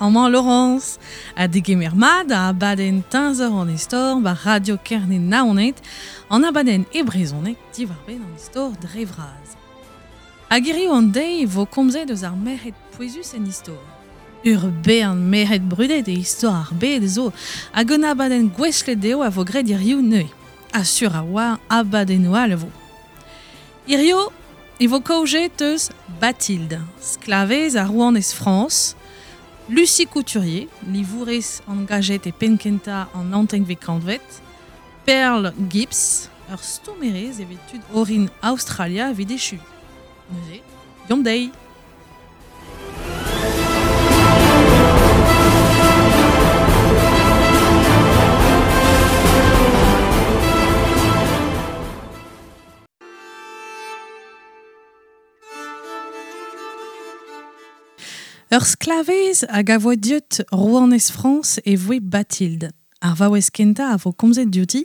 Amañ Laurence. Ha degemer mat da abadenn Teñzor an Istor war Radio Kerne Naoned, an abadenn e brezhoneg diwar-benn an istor dre vras. Hag hiriv an deiz e vo komzet eus ar merc'hed pouezus en istor. Ur bern merc'hed brudet e istor ar bed zo, hag un abadenn gouestlet dezho a vo graet hiziv neuze. Ha sur a-walc'h abadennoù all a vo. Hiziv e vo kaojet eus Bathilde, sklavez ha rouanez Frañs, Lucie Couturier, livourez angajet e penn-kentañ an naontekvet kantved, Pearl Gibbs, ur stourmerez evit tud orin Aostralia evit echuiñ. Neuze, deomp dezhi! Ur sklavez hag a voe deuet rouanez Frañs e voe Bathilde. Ar vaouez kentañ a vo komzet diouti,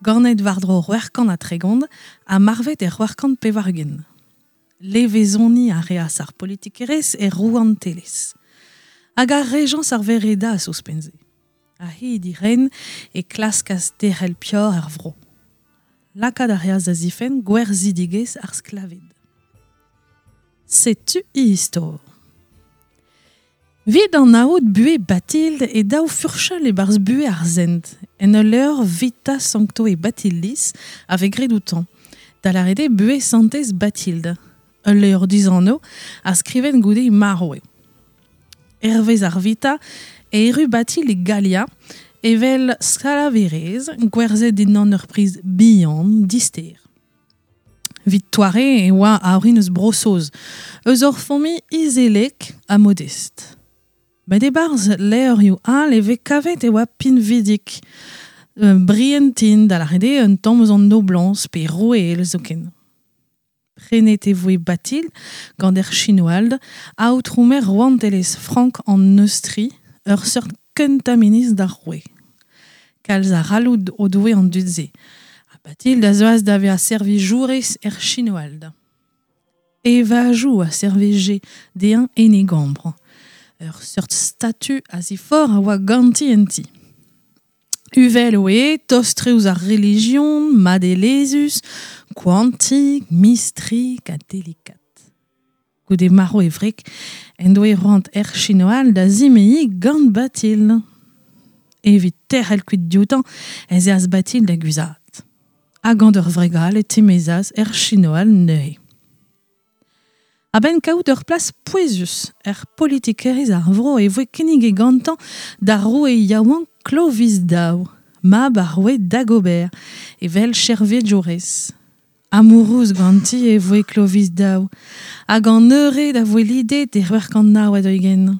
ganet war-dro 630 ha marvet er 680. Levezoniñ a reas ar politikerezh er rouantelezh. Hag ar rejañs ar veredas ouzhpenn-se. A-hed he ren e klaskas derc'hel peoc'h er vro. Lakaat a reas da zifenn gwerzhidigezh ar sklaved. Setu he istor. Evit anaout buhez Bathilde e dav furchal e-barzh buhez ar sent, en ul levr Vita Sanctoe Bathildis a vez graet outañ, da lâret eo buhez santez Bathilde. Ul levr dizanv a skrivet goude he marv eo. Hervez ar Vita e erru Bathilde e Galia evel sklaverez gwerzhet dindan ur priz bihan dister. Evit doare e oa a orin eus Bro-Saoz, eus ur familh izelek ha modest. Met e-barzh levrioù all e vez kavet e oa pinvidik, brientin, da lâret eo un tamm eus an noblañs pe roueel zoken. Prenet e voe Bathilde gant Erchinoald, aotrou-maer rouantelezh frank an Neustri, ur seurt kentañ ministr d'ar roue. Kalz a c'halloud o doe an dud-se, ha Bathilde a zeuas da vezañ servijourez Erchinoald. Evajoù a servije dezhañ en e gambr. Ur seurt statu a-ziforc'h a oa ganti en ti. Uvel oe, tost-tre ouzh ar relijion, madelezhus, koantik, mistrik ha delikat. Goude marv e wreg en doe c'hoant Erchinoald da zimeziñ gant Bathilde. Evit tec'hel kuit dioutañ ez eas Bathilde da guzhat. Ha gant ur wreg all e timezas Erchinoald neuze. A-benn kaout ur plas pouezus er politikerezh ar vro e voe kinniget gantañ d'ar roue yaouank Clovis Daou, mab ar roue Dagobert, evel chervejourez. Amourouz ganti e voe Clovis Daou, hag an eured a voe lidet e 649.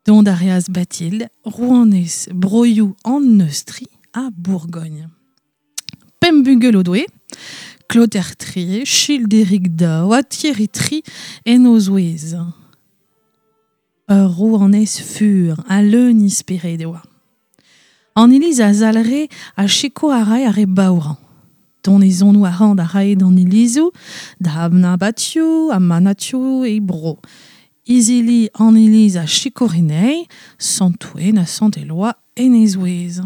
Dont a reas Bathilde, rouanez broioù an Neustri ha Bourgogn. Pemp bugel o doe, Clotaire III, Childéric Daou ha Thierry III en o zouez. Ur rouanez fur ha leun he spered e oa. An iliz a zalc'he ha sikour a rae ar re baourañ. Donezonoù arc'hant a rae d'an ilizoù, da abatioù ha manatioù e bro. Izili an iliz a sikour anezhi, Sant Ouen ha Sant Eloa en he zouez.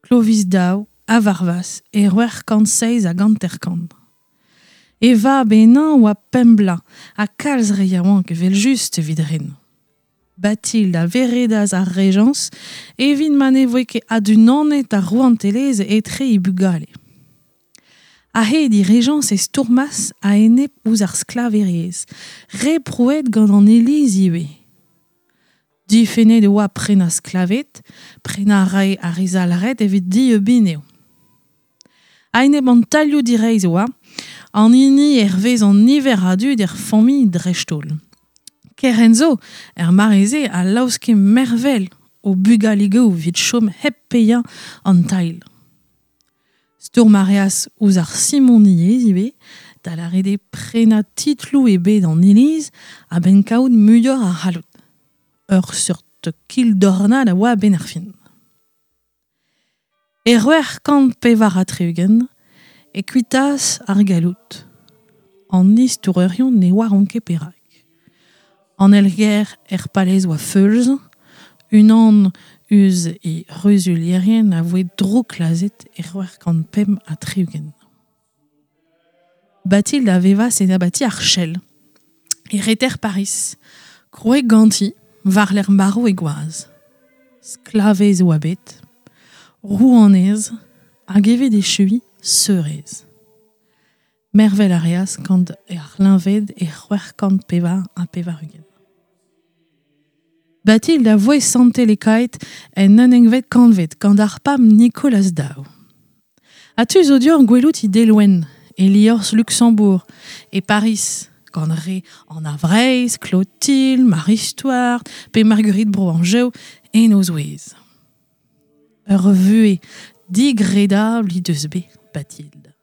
Clovis Daou a varvas e 657. E vab henañ oa pemp bloaz ha kalz re yaouank evel-just evit ren. Bathilde a veredas ar rejañs evit ma ne voe ket adunanet ar rouantelezh etre he bugale. A-hed he rejañs e stourmas a-enep ouzh ar sklaverezh, re prouet gant an Iliz ivez. Difennet e oa prenañ sklaved, prenañ a rae ar re zalc'het evit dieubiñ eo. A-enep an tailhoù direizh e oa, an hini hervez an niver a dud er familh dreist-holl. Kerent zo, er mare-se, a laoske mervel o bugaligoù evit chom hep paeañ an tailh. Stourm a reas ouzh ar simoniezh ivez, da lâret eo prenañ titloù ebet an Iliz a-benn kaout muioc'h a c'halloud. Ur seurt kildornad a oa a-benn ar fin. E 664 e kuitaas ar galloud. An istorourion ne oaront ket perak. An elger er palez oa feulz, unan eus e reuzulierien a voe drouklazet e 665. Bathilde a vevas en abati ar Chell, e reter Paris, kroe ganti war l'er maro e gwaz. Sklavez oa bet, rouanez, hag evet e chui seurez. Mervel a reas gant ar linved e 684. Bathilde a voe santelekaet en unengvet kantved gant ar pab Nicolas Dao. A tu zo dior gwelout i deloen, e liorzh Luxembourg, e Paris, gant re an Avreiz, Clotilde, Marie Stuart, pe Marguerite Bro-Anjev, en o zouez. Ur vue digredabl he deus bet Bathilde.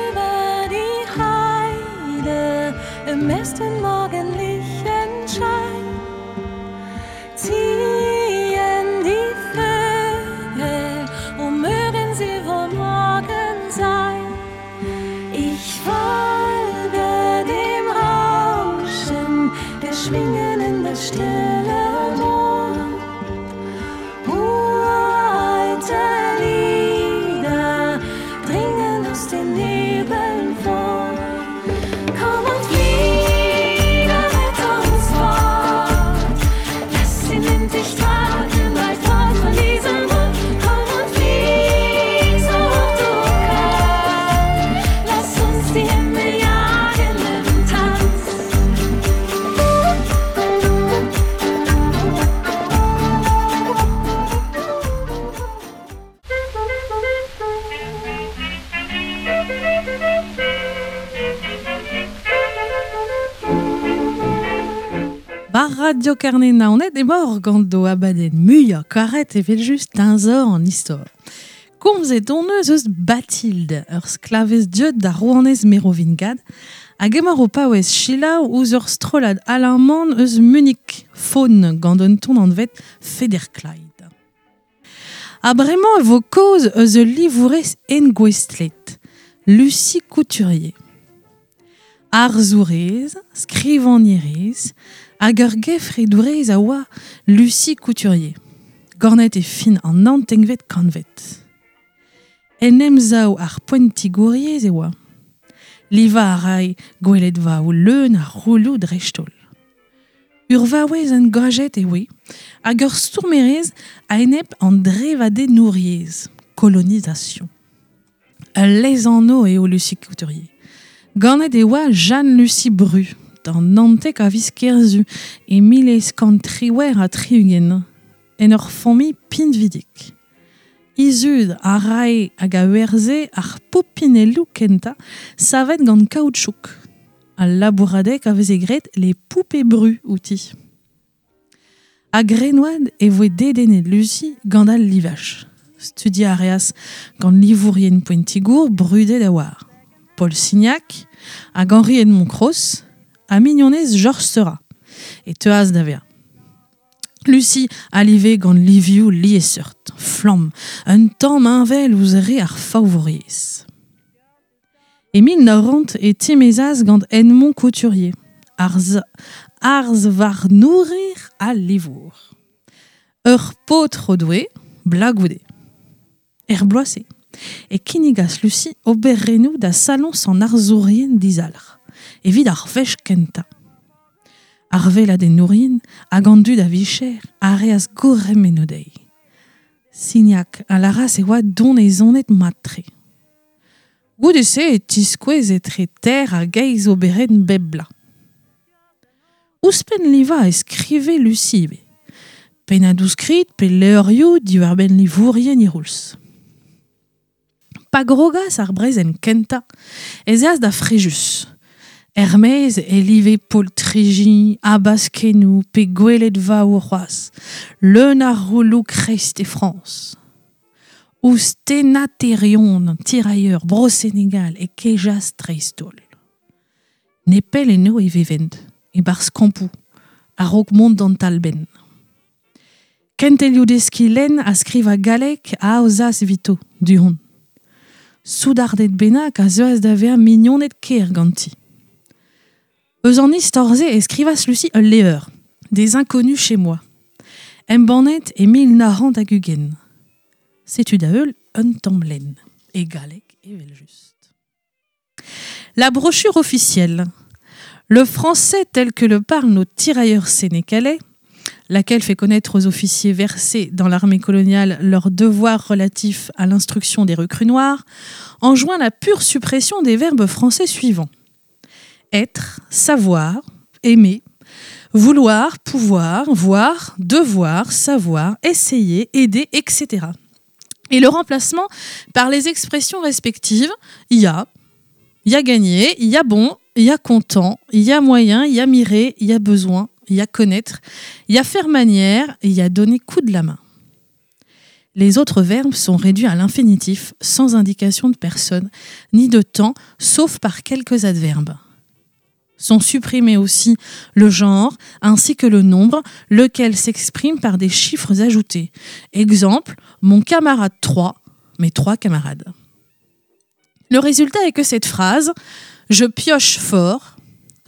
Über die Heide im ersten morgendlichen Schein ziehen die Vögel, wo mögen sie wohl morgen sein? Ich folge dem Rauschen der Schwingen in das stille Moor. Uralte Lieder dringen aus den Nebeln vor. Komm und fliege mit uns fort. Lass den Wind dich tragen, weit fort von diesem Ort. Komm und flieg, so hoch du kannst. Lass uns die Himmel jagen im Tanz. Bar Radio Kerne naonet e mor gant do abadenn muiañ karet evel just teñzor an istor. Komzet on eus eus Bathilde, ur sklavez dieud da rouanez Merovingad, hag emañ o paouez selaou ouzh ur strollad alaman eus Munich, Faun gant un ton anvet Federkleid. Ha bremañ e vo kaoz eus ul livourez engouestlet, Lucie Couturier. Arzourez, skrivagnerez, hag ur gefredourez a oa Lucie Couturier. Gornet e fin an naontekvet kantved. En emsav ar poentigouriezh e oa. Livañ a rae gweledvaoù leun a rouloù dreist-holl. Ur vaouez engajet e oe, hag ur stourmerez a-enep an drevadenouriezh, colonisation. Ul lezanv eo Lucie Couturier. Ganet e oa Jeanne-Lucie Bru, d'an naontek a viz Kerzu e 1878, en ur familh pinvidik. He zud a rae hag a werzhe ar popinelloù kentañ savet gant kaoutchouk. Al labouradeg a veze graet les poupées Bru outi. A grenoad e voe dedennet Lucie gant al livaj. Studiañ a reas gant livourien poentigour brudet a oar. Paul Signac hag Henri Edmond Cross ha mignonez Georges Seurat e teuas da vezañ. Lucie a live gant livioù liesseurt, flamm, un tamm heñvel ouzh re ar faovouriezh. E 1900 e timezas gant Edmond Couturier, arz, arzvarnourer ha livour. Ur paotr o doe, blagoude. Er bloaz-se, e kinnigas Lucie oberennoù da saloñs an arzourien dizalc'h, evit ar wech kentañ. Ar weladennourien hag an dud a vicher a reas gourc'hemennoù dezhi. Signac a lâras e oa donezonet mat-tre. Goude-se e tiskouez etre ter hag eizh oberenn bep bloaz. Ouzhpenn livañ e skrive Lucie ivez. Pennadoù-skrid pe levrioù diwar-benn livourien e c'houlz. Pa grogas ar brezel kentañ ez eas da Frejus. Er-maez e live poltriji, habaskenoù pe gweledvaoù c'hoazh, leun a roulloù kreist e Frañs. Ouzh tennaterion tirailleur Bro-Senegal e kejas dreist-holl. Nepell eno e vevent, e-barzh kampoù, a-raok mont d'an talbenn. Kentelioù deskiñ lenn ha skrivañ galleg a aozas evito, du-hont. Soudarded bennak a zeuas da vezañ mignoned ker ganti. Eus an istor-se e skrivas Lucie ul levr, Des inconnus chez moi, embannet e 1920. Setu da heul un tamm lenn, e galleg evel-just. La brochure officielle. Le français tel que le parlent nos tirailleurs sénégalais, laquelle fait connaître aux officiers versés dans l'armée coloniale leurs devoirs relatifs à l'instruction des recrues noires, enjoint la pure suppression des verbes français suivants. Être, savoir, aimer, vouloir, pouvoir, voir, devoir, savoir, essayer, aider, etc. Et le remplacement par les expressions respectives y a, y a gagné, y a bon, y a content, y a moyen, y a mirer, y a besoin, y a connaître, y a faire manière, y a donner coup de la main. Les autres verbes sont réduits à l'infinitif, sans indication de personne, ni de temps, sauf par quelques adverbes. Sont supprimés aussi le genre ainsi que le nombre, lequel s'exprime par des chiffres ajoutés. Exemple, mon camarade 3, mes trois camarades. Le résultat est que cette phrase, je pioche fort,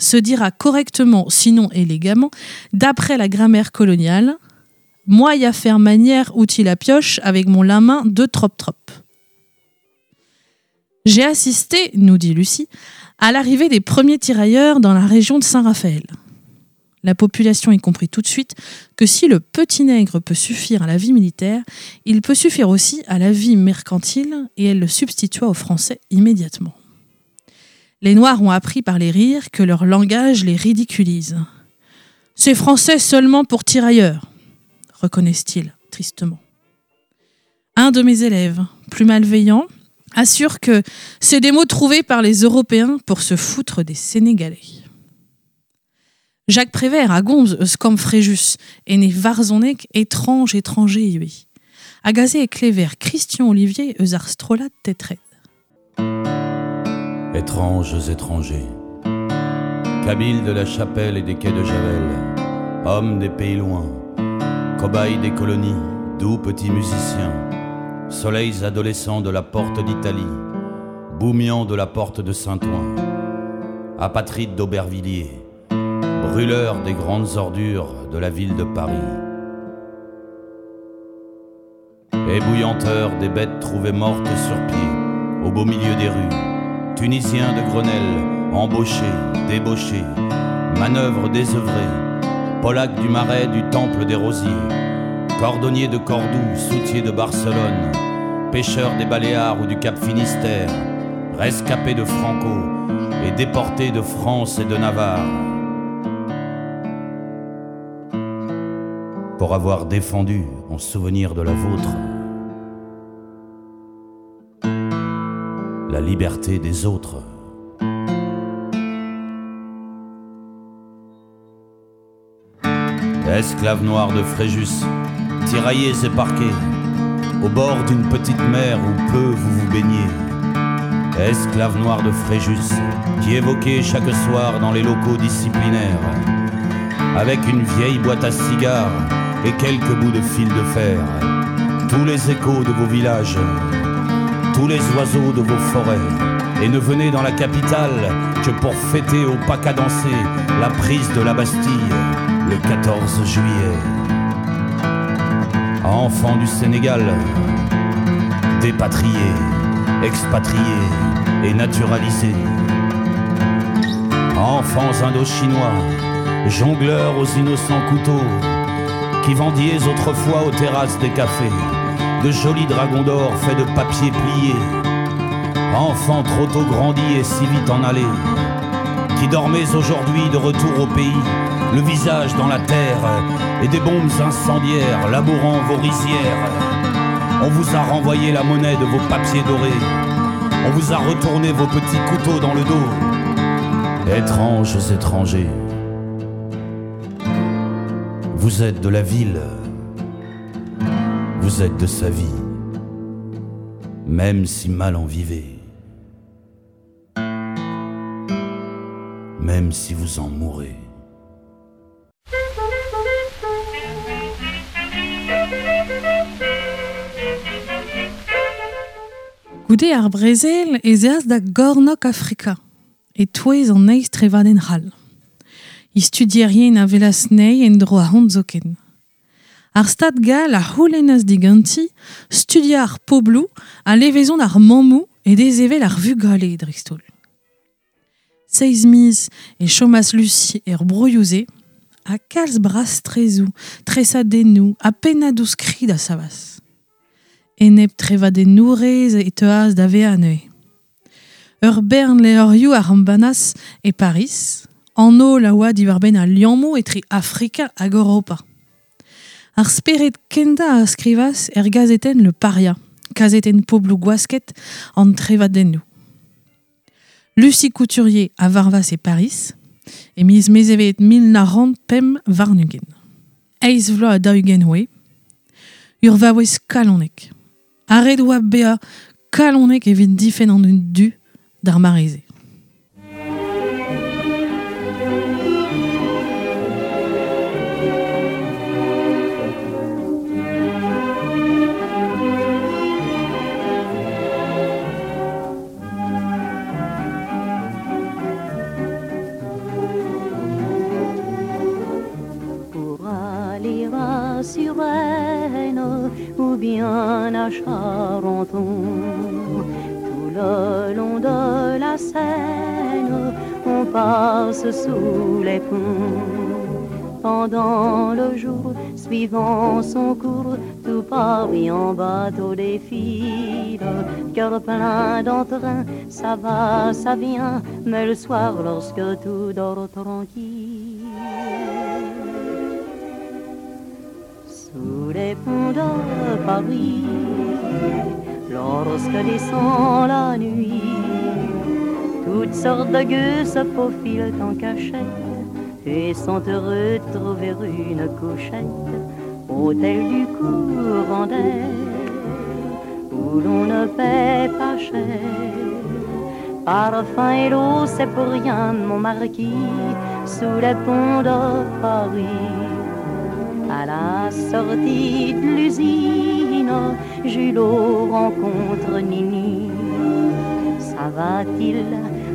se dira correctement, sinon élégamment, d'après la grammaire coloniale, moi y a faire manière outil la pioche avec mon la main de trop trop. J'ai assisté, nous dit Lucie, à l'arrivée des premiers tirailleurs dans la région de Saint-Raphaël. La population y comprit tout de suite que si le petit nègre peut suffire à la vie militaire, il peut suffire aussi à la vie mercantile et elle le substitua aux Français immédiatement. Les Noirs ont appris par les rires que leur langage les ridiculise. C'est français seulement pour tirailleurs, reconnaissent-ils tristement. Un de mes élèves, plus malveillant, assure que c'est des mots trouvés par les Européens pour se foutre des Sénégalais. Jacques Prévert a gomz eus kamp Frejus, en e varzhoneg Étrange étranger ivez. Hag aze e klever Christian Ollivier eus ar strollad Tetred. Étranges étrangers, Kabyles de la Chapelle et des quais de Javel, hommes des pays loin, cobayes des colonies, doux petits musiciens, soleils adolescents de la porte d'Italie, boumians de la porte de Saint-Ouen, apatrides d'Aubervilliers, brûleurs des grandes ordures de la ville de Paris. Ébouillanteurs des bêtes trouvées mortes sur pied, au beau milieu des rues, Tunisiens de Grenelle, embauchés, débauchés, manœuvres désœuvrées, Polacs du Marais du Temple des Rosiers, cordonniers de Cordoue, soutiers de Barcelone, pêcheurs des Baléares ou du Cap Finistère, rescapés de Franco et déportés de France et de Navarre. Pour avoir défendu en souvenir de la vôtre la liberté des autres. Esclaves noirs de Fréjus, tiraillés et parqués, au bord d'une petite mer où peu vous vous baignez. Esclaves noirs de Fréjus, qui évoquez chaque soir dans les locaux disciplinaires, avec une vieille boîte à cigares et quelques bouts de fil de fer, tous les échos de vos villages, tous les oiseaux de vos forêts, et ne venez dans la capitale que pour fêter au pas cadencé la prise de la Bastille le 14 juillet. Enfants du Sénégal, dépatriés, expatriés et naturalisés. Enfants indochinois, jongleurs aux innocents couteaux, qui vendiez autrefois aux terrasses des cafés de jolis dragons d'or faits de papier plié. Enfants trop tôt grandis et si vite en allés, qui dormez aujourd'hui de retour au pays le visage dans la terre, et des bombes incendiaires labourant vos rizières. On vous a renvoyé la monnaie de vos papiers dorés. On vous a retourné vos petits couteaux dans le dos. Étranges étrangers, vous êtes de la ville, vous êtes de sa vie, même si mal en vivez, même si vous en mourrez. Goude ar brezel ez eas da gornok Afrika, e-touez an eizh trevadenn c'hall. I studierien a welas anezhi en-dro ahont zoken. Ar Stad gall a c'houlennas diganti studiañ ar pobloù ha levezon ar mammoù e desevel ar vugale dreist-holl. Seizh miz e chomas Lucie er broioù-se ha kalz brastrezoù, tresadennoù ha pennadoù-skrid a savas. Enep trevadennourez e teuas da vezañ neuze. Ur bern levrioù a embannas e Pariz, an holl a oa diwar-benn al liammoù etre Afrika hag Europa. Ar spered kentañ a skrivas er gazetenn Le Paria, kazetenn pobloù gwasket an trevadennoù. Lucie Couturier a varvas e Pariz, e miz Mezhevet 1925. Eizh vloaz ha daou-ugent oe, ur vaouez kalonek. Ha ret oa bezañ kalonek evit difenn an dud du d'ar mare-se. Pour aller à Suresnes ou bien à Charenton, tout le long de la Seine, on passe sous les ponts. Pendant le jour, suivant son cours, tout Paris en bateau défile. Cœur plein d'entrain, ça va, ça vient, mais le soir, lorsque tout dort tranquille, sous les ponts de Paris, lorsque descend la nuit, toutes sortes de gueux se faufilent en cachette et sont heureux de trouver une couchette. Hôtel du courant d'air, où l'on ne paie pas cher. Parfum et l'eau, c'est pour rien, mon marquis, sous les ponts de Paris. À la sortie de l'usine, Julot rencontre Nini. Ça va-t-il,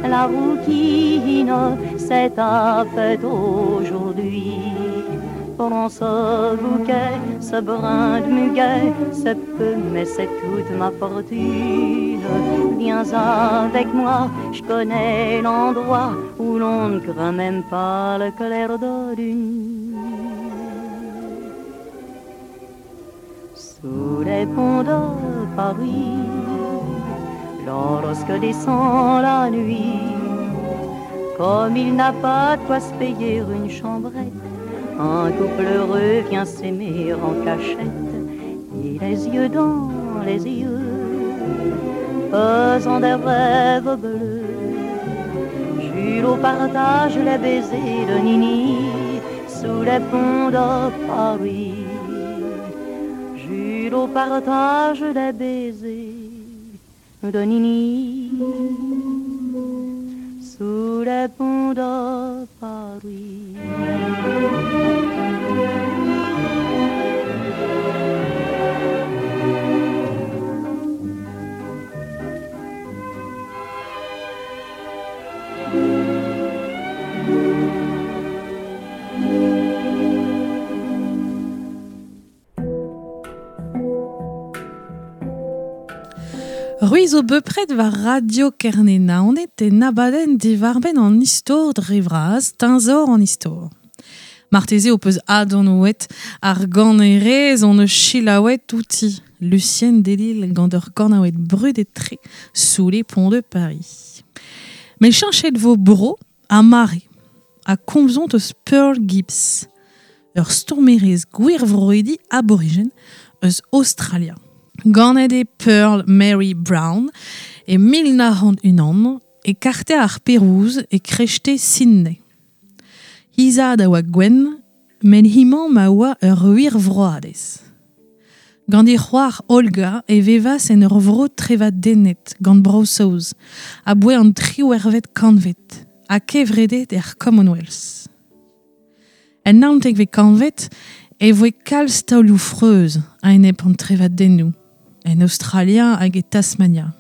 la rouquine, c'est ta fête aujourd'hui. Prends ce bouquet, ce brin de muguet, c'est peu, mais c'est toute ma fortune. Viens avec moi, je connais l'endroit où l'on ne craint même pas le clair de lune. Sous les ponts de Paris, lorsque descend la nuit, comme il n'a pas de quoi se payer une chambrette, un couple heureux vient s'aimer en cachette, et les yeux dans les yeux, faisant des rêves bleus. Julot partage les baisers de Nini sous les ponts de Paris. Julot partage les baisers de Nini sous les ponts de Paris. C'hwi zo bepred war Radio Kerne Naoned e abadenn diwar-benn an istor dre vras, teñzor an istor. Marteze ho peus adonouet ar ganerez on eus selaouet outi. Lucienne Delille gant ur ganaouet brudet-tre sous les ponts de Paris. Met cheñchet vo bro ha mare. a komzont eus Pearl Gibbs, ur stourmerez gwirvroidi aborigen eus Australia. Ganet eo Pearl Mary Brown e 1901 e karter ar Perouz e krechte Sydney. He zad a oa gwenn, met hemañ ma oa ur wirvroadez. Gant he c'hoar Olga e vevas en ur vro trevadennet gant Bro-Saoz, aboae an triwec'hvet kantved, ha kevredet er Commonwealth. En naontekvet kantved e voe kalz taolioù freuz a-enep an trevadennoù, en Australia hag e Tasmania.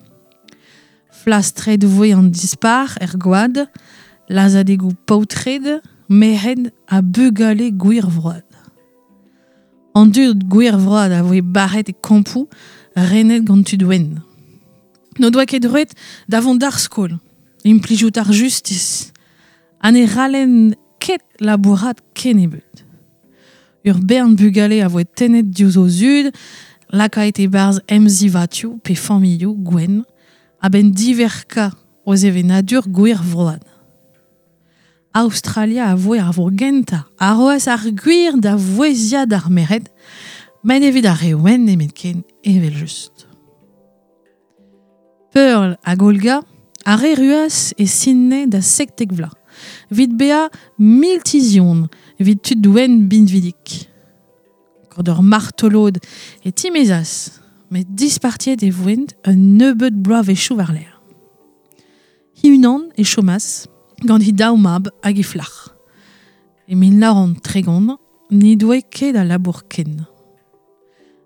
Flastret voe an dispac'h er gwad, lazhadegoù paotred, merc'hed ha bugale gwirvroad. An dud gwirvroad a voe barret e kampoù renet gant tud wenn. N'o doa ket droed da vont d'ar skol, implijout ar justis, ha ne c'hallent ket labourat kennebeut. Ur bern bugale a voe tennet diouzh o zud, lakaet e-barzh emzivatioù pe familhoù gwenn, a-benn diverkañ o sevenadur gwirvroad. Aostralia a voe ar vro gentañ a roas ar gwir da vouezhiañ d'ar merc'hed, met evit ar re wenn nemetken evel-just. Pearl hag Olga a erruas e Sydney da 17 vloaz, evit bezañ miltizion evit tud wenn binvidik. Gant ur martolod e timezas, met dispartiet e voent un nebeud bloavezhioù war-lerc'h. He-unan e chomas gant he daou mab hag he flac'h. E 1930 n'he doe ket a labour ken.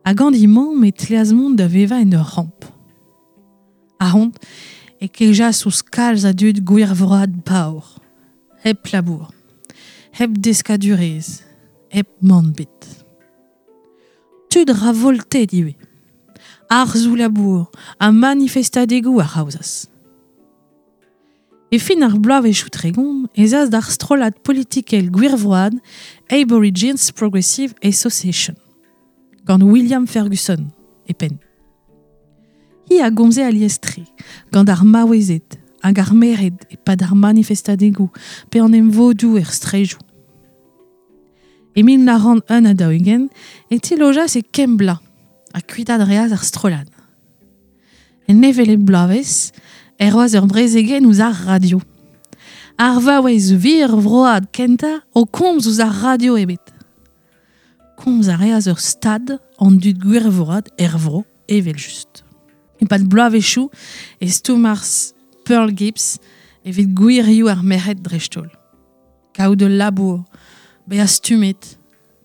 Ha gant he mamm e tleas mont da vevañ en ur ramp. Ahont e kejas ouzh kalz a dud gwirvroad paour, hep labour, hep deskadurezh, hep mann ebet. Tud ravoltet ivez. Arzoù labour ha manifestadegoù a aozas. E fin ar bloavezhioù 30 ez as d'ar strollad politikel gwirvroad Aborigines Progressive Association, gant William Ferguson e penn. Hi a gomze alies-tre, gant ar maouezed hag ar merc'hed e-pad ar manifestadegoù pe an emvodoù er straejoù. E 1941 e tilojas e Kembla ha kuitaat reas ar strollad. En hevelep bloavezh e roas ur brezegenn ouzh ar radio. Ar vaouez wirvroad kentañ o komz ouzh ar radio ebet. Komz a reas ur stad an dud gwirvroad er vro evel-just. E-pad bloavezhioù e stourmas Pearl Gibbs evit gwirioù ar merc'hed dreist-holl. Kaout ul labour, bezañ stummet,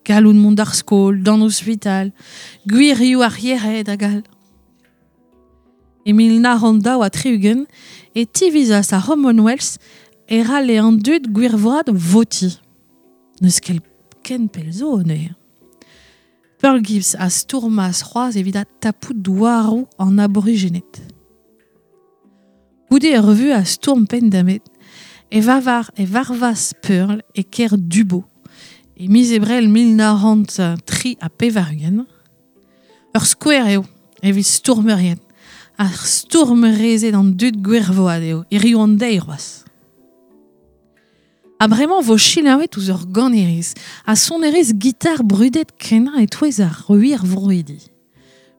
gallout mont d'ar skol, d'an ospital, gwirioù ar yec'hed hag all. E 1962 e tivizas ar Commonwealth e c'halle an dud gwirvroad votiñ. N'eus ket ken pell zo neuze. Pearl Gibbs a stourmas c'hoazh evit adtapout douaroù an aborijened. Goude ur vuhez a stourm penn-da-benn e vavar e varvas Pearl e kêr Dubbo e miz Ebrel 1983. Ur skouer eo evit stourmerien. Ar stourmerezed an dud gwirvoad eo, hiriv an deiz c'hoazh. Ha bremañ vo selaouet ouzh ur ganerez ha sonerez gitar brudet kenañ e-touez ar wirvroidi.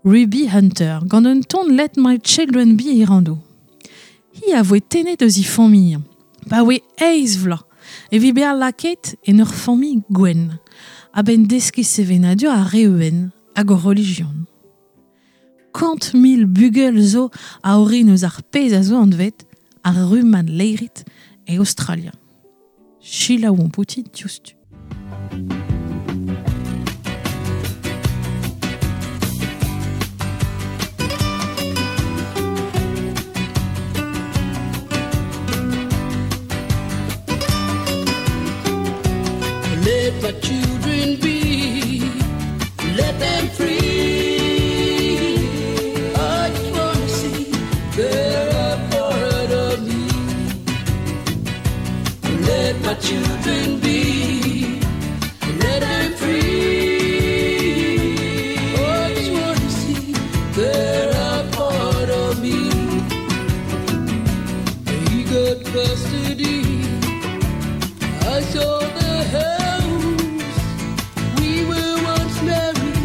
Ruby Hunter, gant un ton Let My Children Be Irando. Hi a voe tennet eus he familh, pa oe eizh vloaz, evit bezañ lakaet en ur familh gwenn, a-benn deskiñ sevenadur ar re wenn hag o relijion. 100 000 bugel zo a orin eus ar pezh a zo anvet ar rummad laeret e Aostralia. Selaouomp outi diouzhtu. Let my children be, let them free. I just wanna see they're a part of me. Let my children be, let them free. I just wanna see they're a part of me. He got custody. I saw the house. We were once married.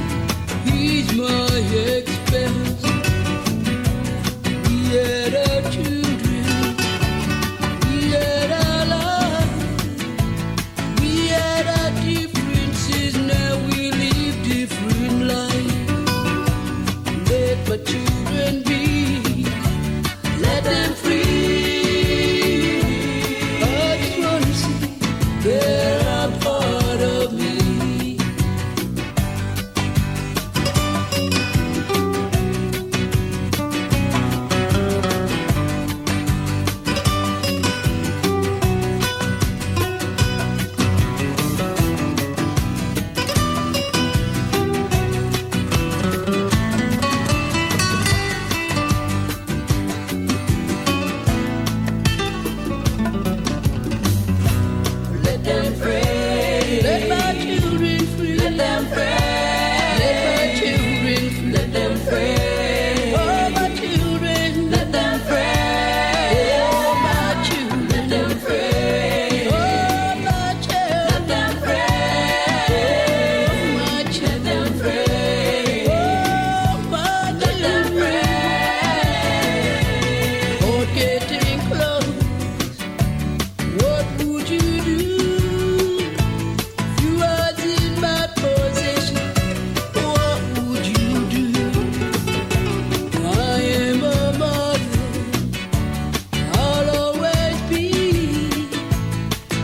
He's my ex-spouse. We had our children. We had our life. We had our differences. Now we live different lives. Let my children be. Let them free. I just wanna see they're a part of me. Let them pray. Let my children free. Let them pray. Let my children free. Let them pray. Oh, my children. Let them pray. Oh, my children. Let them pray. Oh, my children. Let them pray. Oh, my children. Let them pray. Oh, my Let them pray. Oh, getting close. What would you do if you was in my position? What would you do? I am a mother, I'll always be.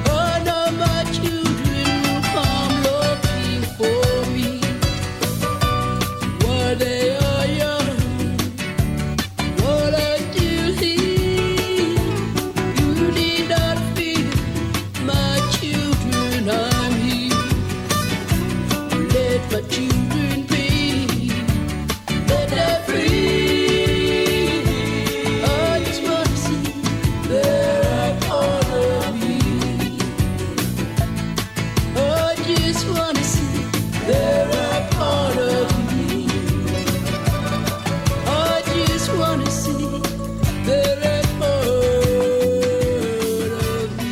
All of my children will come looking for me while they are young, while I still here. You need not fear, my children, I'm here. Let my children be, let them free. I just wanna see they're a part of me. I just wanna see they're a part of me. I just wanna see they're a part of me.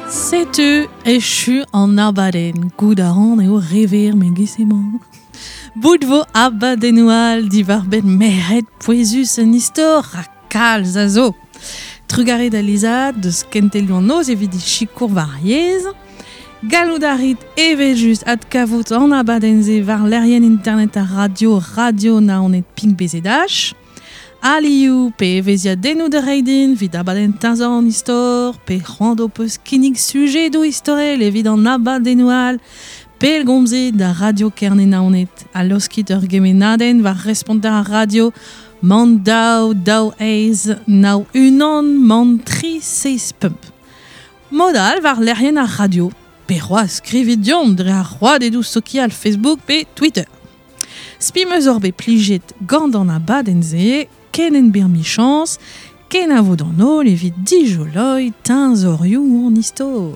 Setu echu an abadenn, gout a ran eo rever me gisemañ. Bout vo abadennoù all diwar benn merc'hed pouezus en istor ha kalz a zo. Trugarez da Liza deus kentelioù an noz evit sikour war yezh. Gallout a rit evel-just adkavout an abadenn-se war lec'hienn internet ar radio radio naoned ping BZH. Alioù pe evezhiadennoù da reiñ din evit abadenn teñzor an istor, pe c'hoant ho peus kinnig sujedoù istorel evit an abadennoù all, pellgomzit da Radio Kerne Naoned ha laoskit ur gemennadenn war responter ar radio man daou daou eizh nav unan man tri seizh pemp. Mod all war lec'hienn ar radio, pe c'hoazh skrivit deomp dre ar rouedadoù sokial Facebook pe Twitter. Spi 'm eus oc'h bet plijet gant an abadenn-se, ken en bir michañs, ken a vo d'an holl evit dijoloiñ teñzorioù an istor.